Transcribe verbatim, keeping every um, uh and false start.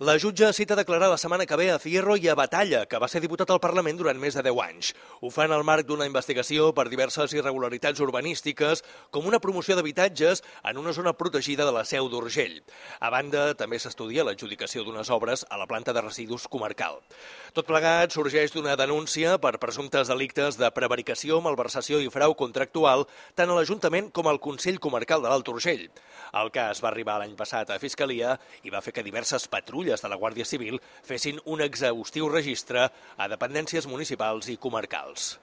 La jutge cita declarar la setmana que ve a Fierro i a Batalla, que va ser diputat al Parlament durant més de deu anys. Ho fa en el marc d'una investigació per diverses irregularitats urbanístiques, com una promoció d'habitatges en una zona protegida de la Seu d'Urgell. A banda, també s'estudia l'adjudicació d'unes obres a la planta de residus comarcal. Tot plegat sorgeix d'una denúncia per presumptes delictes de prevaricació, malversació i frau contractual tant a l'Ajuntament com al Consell Comarcal de l'Alt Urgell. El cas va arribar l'any passat a Fiscalia i va fer que diverses patrulles de la Guàrdia Civil fessin un exhaustiu registre a dependències municipals i comarcals.